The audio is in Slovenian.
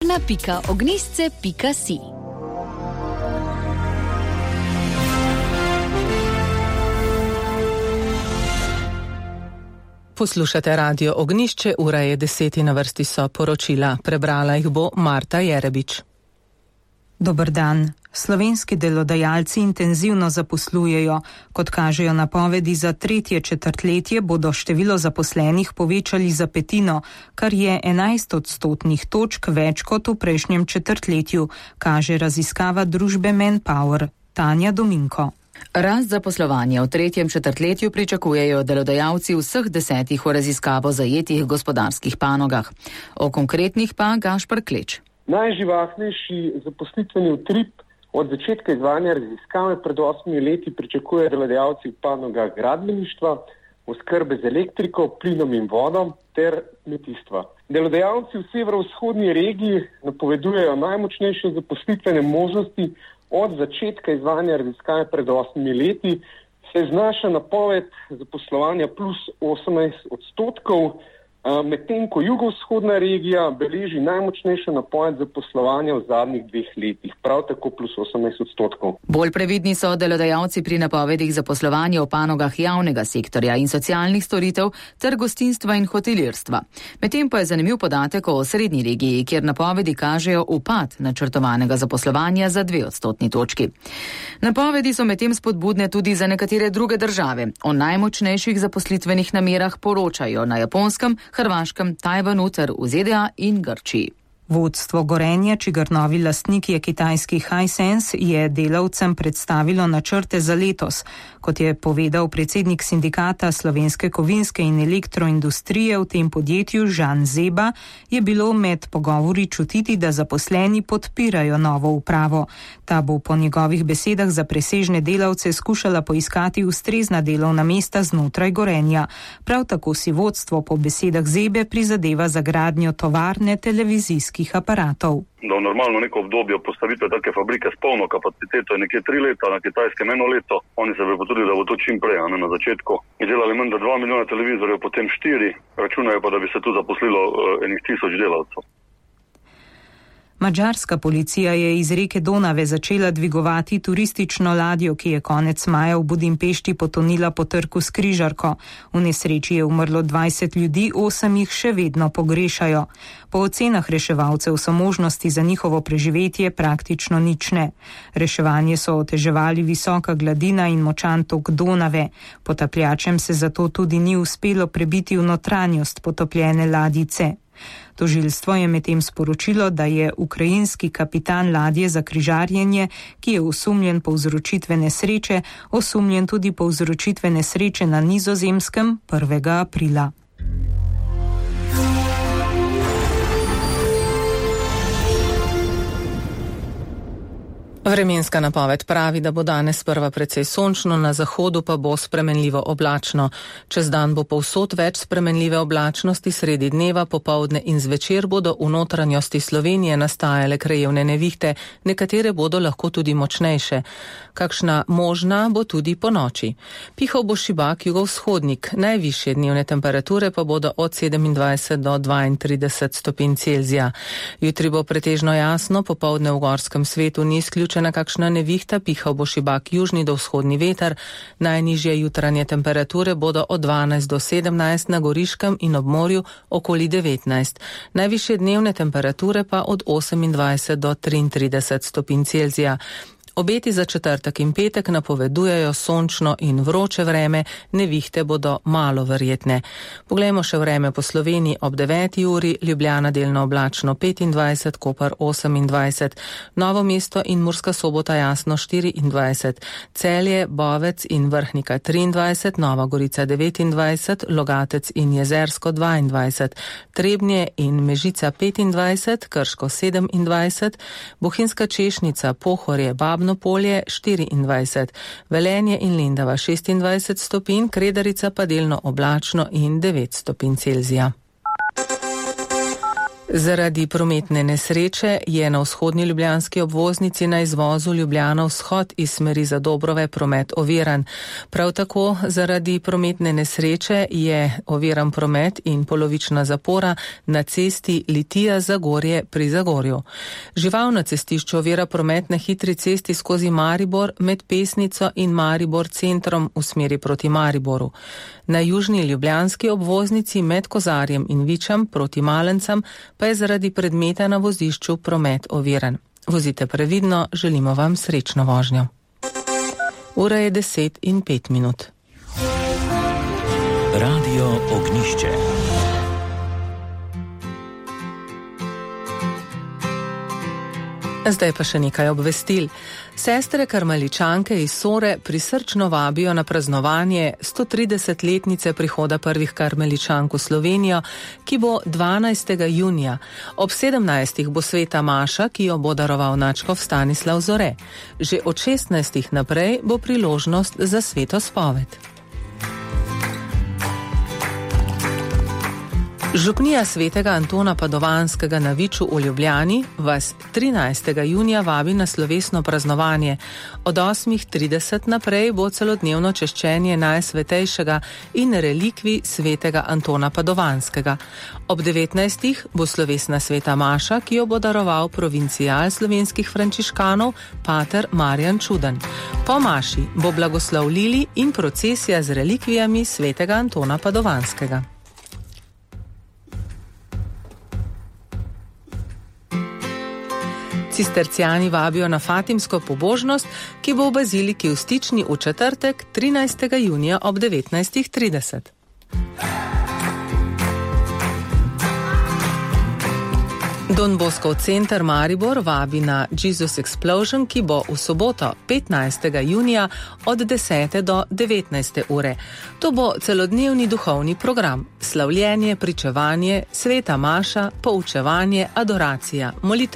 na.ognisce.si. Poslušate Radio Ognjišče, ura je 10, na vrsti so poročila. Prebrala jih bo Marta Jerebič. Dober dan. Slovenski delodajalci intenzivno zaposlujejo. Kot kažejo napovedi za tretje četrtletje, bodo število zaposlenih povečali za petino, kar je 11 odstotnih točk več kot v prejšnjem četrtletju, kaže raziskava družbe Manpower. Tanja Dominko. Rast zaposlovanja v tretjem četrtletju pričakujejo delodajalci vseh 10 v raziskavo zajetih gospodarskih panogah. O konkretnih pa Gašper Kleč. Najživahnejši zaposlitveni utrip od začetka izvajanja raziskave pred 8 leti pričakujejo delodajalci v panogah gradbeništva, oskrbe z elektriko, plinom in vodom ter kmetijstva. Delodajalci v severovzhodni regiji napovedujejo najmočnejše zaposlitvene možnosti. Od začetka izvajanja raziskave pred 8 leti se znaša napoved zaposlovanja plus 18 odstotkov, medtem ko jugovzhodna regija beleži najmočnejšo napoved zaposlovanja v zadnjih 2 letih, prav tako plus 18 odstotkov. Bolj previdni so delodajalci pri napovedih zaposlovanja v panogah javnega sektorja in socialnih storitev ter gostinstva in hotelirstva. Medtem pa je zanimiv podatek o srednji regiji, kjer napovedi kažejo upad načrtovanega zaposlovanja za 2 odstotni točki. Napovedi so medtem spodbudne tudi za nekatere druge države. O najmočnejših zaposlitvenih namerah poročajo na Japonskem, Hrvaškem, Tajvanu ter v ZDA in Grčiji. Vodstvo Gorenja, čigar novi lastnik je kitajski Hisense, je delavcem predstavilo načrte za letos. Kot je povedal predsednik sindikata slovenske kovinske in elektroindustrije v tem podjetju Žan Zeba, je bilo med pogovori čutiti, da zaposleni podpirajo novo upravo. Ta bo po njegovih besedah za presežne delavce skušala poiskati ustrezna delovna mesta znotraj Gorenja. Prav tako si vodstvo po besedah Zebe prizadeva za gradnjo tovarne televizijskih aparatov. Da v normalno neko obdobje postavitve take fabrike s polno kapaciteto je nekje 3 leta, na Kitajskem 1 leto. Oni se bi potrudili, da bo to čim prej, na začetku. Izdelali menda 2 milijona televizorjev, potem 4, računajo pa, da bi se tu zaposlilo 1000 delavcev. Madžarska policija je iz reke Donave začela dvigovati turistično ladjo, ki je konec maja v Budimpešti potonila po trku s križarko. V nesreči je umrlo 20 ljudi, 8 jih še vedno pogrešajo. Po ocenah reševalcev so možnosti za njihovo preživetje praktično nične. Reševanje so oteževali visoka gladina in močan tok Donave. Potapljačem se zato tudi ni uspelo prebiti v notranjost potopljene ladjice. Tožilstvo je medtem sporočilo, da je ukrajinski kapitan ladje za križarjenje, ki je osumljen povzročitve nesreče, osumljen tudi povzročitve nesreče na Nizozemskem 1. aprila. Vremenska napoved pravi, da bo danes sprva precej sončno, na zahodu pa bo spremenljivo oblačno. Čez dan bo povsod več spremenljive oblačnosti, sredi dneva, popoldne in zvečer bodo v notranjosti Slovenije nastajale krajevne nevihte, nekatere bodo lahko tudi močnejše. Kakšna možna bo tudi ponoči. Pihal bo šibak jugovzhodnik, najvišje dnevne temperature pa bodo od 27 do 32 stopinj Celzija. Jutri bo pretežno jasno, popoldne v gorskem svetu ni izključena kakšna nevihta, pihal bo šibak južni do vzhodni veter, najnižje jutranje temperature bodo od 12 do 17 na Goriškem in ob morju okoli 19. Najvišje dnevne temperature pa od 28 do 33 stopinj Celzija. Obeti za četrtek in petek napovedujejo sončno in vroče vreme, nevihte bodo malo verjetne. Poglejmo še vreme po Sloveniji ob 9. uri, Ljubljana delno oblačno 25, Koper 28, Novo mesto in Murska Sobota jasno 24, Celje, Bovec in Vrhnika 23, Nova Gorica 29, Logatec in Jezersko 22, Trebnje in Mežica 25, Krško 27, Bohinjska Češnica, Pohorje, Babno Polje 24, Velenje in Lendava 26 stopinj, Kredarica pa delno oblačno in 9 stopinj Celzija. Zaradi prometne nesreče je na vzhodni ljubljanski obvoznici na izvozu Ljubljana vzhod iz smeri Zadobrove promet oviran. Prav tako zaradi prometne nesreče je oviran promet in polovična zapora na cesti Litija-Zagorje pri Zagorju. Žival na cestišču ovira promet na hitri cesti skozi Maribor med Pesnico in Maribor centrom v smeri proti Mariboru. Na južni ljubljanski obvoznici med Kozarjem in Vičem proti Malencem pa je zaradi predmeta na vozišču promet oviran. Vozite previdno, želimo vam srečno vožnjo. Ura je 10:05. Radio Ognjišče. Zdaj pa še nekaj obvestil. Sestre karmeličanke iz Sore prisrčno vabijo na praznovanje 130-letnice prihoda prvih karmeličank v Slovenijo, ki bo 12. junija. Ob 17. bo sveta maša, ki jo bo daroval nadškof Stanislav Zore. Že od 16. naprej bo priložnost za sveto spoved. Župnija svetega Antona Padovanskega na Viču v Ljubljani vas 13. junija vabi na slovesno praznovanje. Od 8:30 naprej bo celodnevno češčenje najsvetejšega in relikvij svetega Antona Padovanskega. Ob 19. bo slovesna sveta maša, ki jo bo daroval provincijal slovenskih frančiškanov pater Marjan Čuden. Po maši bo blagoslov lili in procesija z relikvijami svetega Antona Padovanskega. Cistercijani vabijo na fatimsko pobožnost, ki bo v baziliki v Stični v četrtek 13. junija ob 19:30. Don Bosco center Maribor vabi na Jesus Explosion, ki bo v soboto 15. junija od 10. do 19. ure. To bo celodnevni duhovni program, slavljenje, pričevanje, sveta maša, poučevanje, adoracija, molitev